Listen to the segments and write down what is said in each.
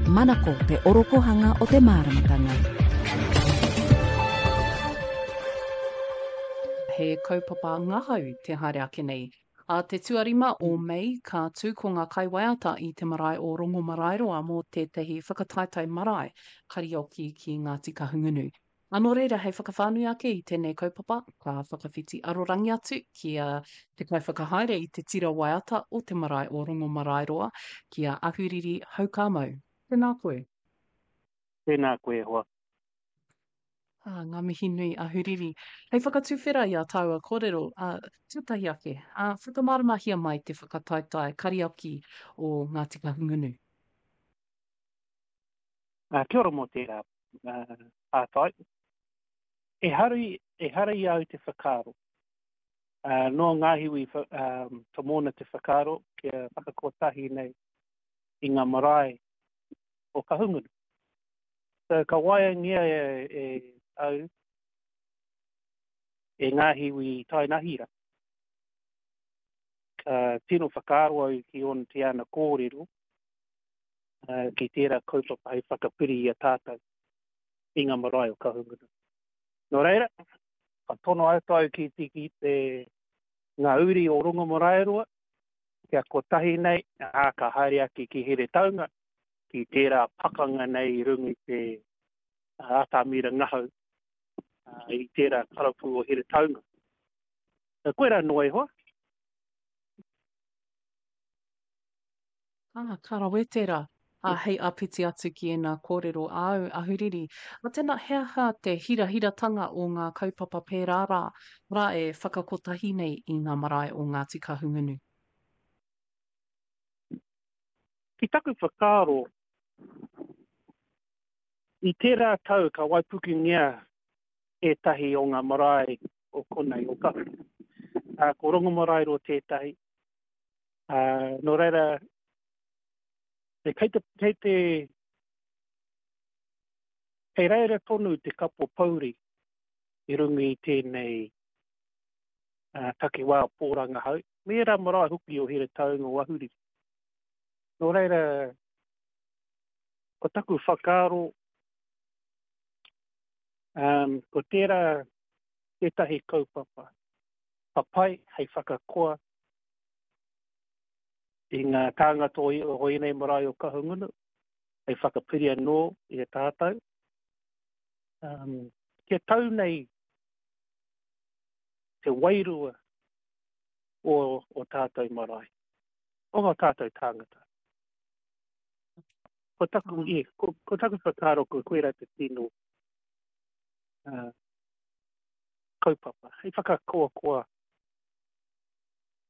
Manako te orokohanga o te māramatanga. He kaupapa ngahau te haere ake nei. Ā te tuarima o Mei ka tū ko ngā kaiwaiata i te marae o Rongomaraeroa mō tētahi whakataetae marae karaoke ki Ngāti Kahungunu. Ā, nō reira, hei whakawhānui ake i tēnei kaupapa, ka whakawhiti arorangi atu ki a te kaiwhakahaere i te tira waiata o te marae o Rongomaraeroa, ki a Ahuriri Haukāmau. Tēnā koe. Tēnā koe e hoa. Ā, ngā mihi nui, Ahuriri. Hei whakatuwhera i ā tāua kōrero, ā, tuatahi ake, ā, whakamāramahia mai te whakataetae kariaki o Ngāti Kahungunu. Ā, kia ora mō tērā pātai. Ehara, ehara i a au te whakaaro. Ā, nō Ngāhiwi Tomona te whakaaro kia whakakotahi nei i ngā marae o Kahungunu. So, ka waeangia e, e au e Ngāhiwi Tainahira. Ka tino whakaaro au ki ōna te ana kōrero, ki tērā kaupapa hei whakapiri i a tātou i ngā marae o Kahungunu. Nō reira, ka tono atu au ki te, ki te ngā uri o Rongomaraeroa, kia kotahi nei, ā, ka haere ake ki Heretaunga, ki tērā pakanga nei i runga i te atamira ngahau i tērā karapu o Heretaunga. Koirā noa iho. Ah, ka rawe tērā. Ā, hei āpiti atu ki ēnā kōrero āu, Ahuriri, ā, tēnā, he aha te hirahiratanga o ngā kaupapa pērā rā, rā e whakakotahi nei i ngā marae o Ngāti Kahungunu? Ki taku whakaaro, i tērā tau ka waipukengia ētahi o ngā marae o konei, o Kahungunu. Ā, ko Rongomaraeroa tētahi, Ā, nō reira, kei te, kei te, kei reira tonu te kapo pouri i runga i tēnei uh, takiwā o Pōrangahau, me ērā marae hoki o Heretaunga o Ahuriri. Nō reira, ko taku whakaaro, um, ko tērā tētahi kaupapa papai hei whakakoa i ngā tāngata o ēnei marae o Kahungunu, hei whakapiri anō i a tātou. Um, kia tau nei te wairua o, o tātou marae, o ngā tātou tāngata. Ko taku, mm. e, ko, ko taku whakaaro ko koira te tino uh, kaupapa. Hei whakakoakoa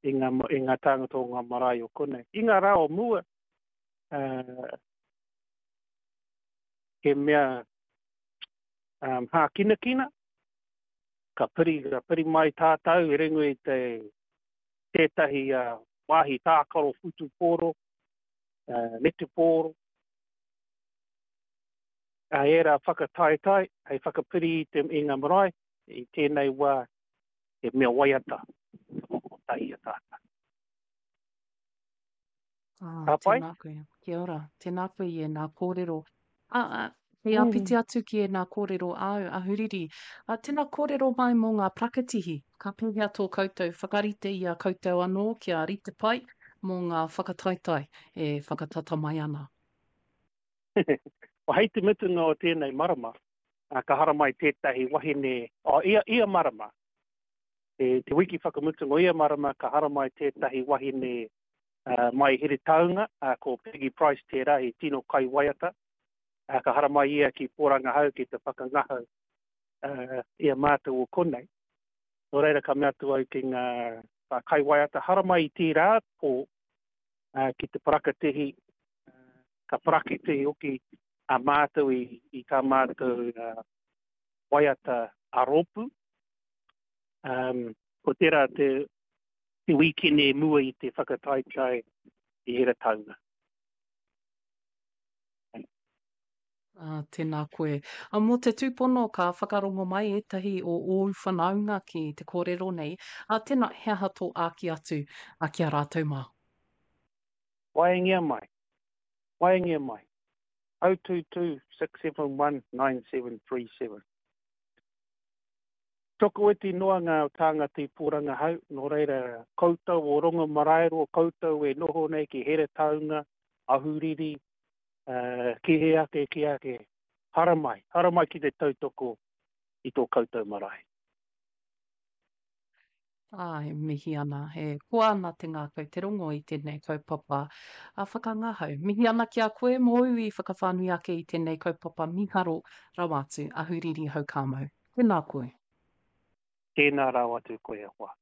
i ngā, i ngā tāngata o ngā marae o konei. I ngā rā o mua, uh, he mea um, hākinakina, ka piri, ka piri mai tātou i runga i te, tētahi uh, wāhi tākaro whutupōro, uh, netupōro, a ērā whakataetae hei whakapiri i, te, i ngā marae, i tēnei wā he mea waiata te whakakotahi i a tātou. Ah, Ka pai? Tēnā koe. Kia ora. Tēnā koe i ēnā kōrero. Ah, ah, hei āpiti mm. atu ki ēnā kōrero āu, Ahuriri. Ah, tēnā kōrero mai mō ngā prakatihi. Ka pēhea tō koutou whakarite i a koutou anō kia rite pai mō ngā whakataetae e whakatata mai ana? Hei te mutunga o tēnei marama, ka haramai tētahi wahine, oh, ia, ia marama, te, te wiki whakamutunga o ia marama ka haramai tētahi wahine uh, mai Heretaunga, uh, ko Peggy Price tērā, he tino kaiwaiata, uh, ka haramai ia ki Pōrangahau ki te whakangahau uh, i a mātou o konei. Nō reira ka mea atu au ki ngā kaiwaiata, haramai i tērā pō uh, ki te parakatihi, uh, ka parakitihi hoki a mātou i, i tā mātou uh, waiata a rōpū. Um, ko tērā te, te wīkene mua i te whakataetae i Heretaunga. Ah, tēnā koe. A, mō te tūpono ka whakarongo mai ētahi o ōu whanaunga ki te kōrero nei, a, tēnā, he aha tō āki atu a, ki a rātou mā? Waengia mai. Waengia mai. 022 671 9737. Tokoiti noa ngā tāngata i Pōrangahau, nō reira, koutou o Rongomaraeroa, koutou e noho nei ki Heretaunga, Ahuriri, ki hea ake, ki hea ake, haramai, haramai ki te tautoko i tō koutou marae. Ā, e mihi ana, e koa ana te ngākau te rongo i tēnei kaupapa a whakangahau. Mihi ana ki a koe mōu i whakawhānui ake i tēnei kaupapa mīharo rawa atu, Ahuriri Houkāmau. Tēnā koe. Tēnā rawa atu koe e hoa.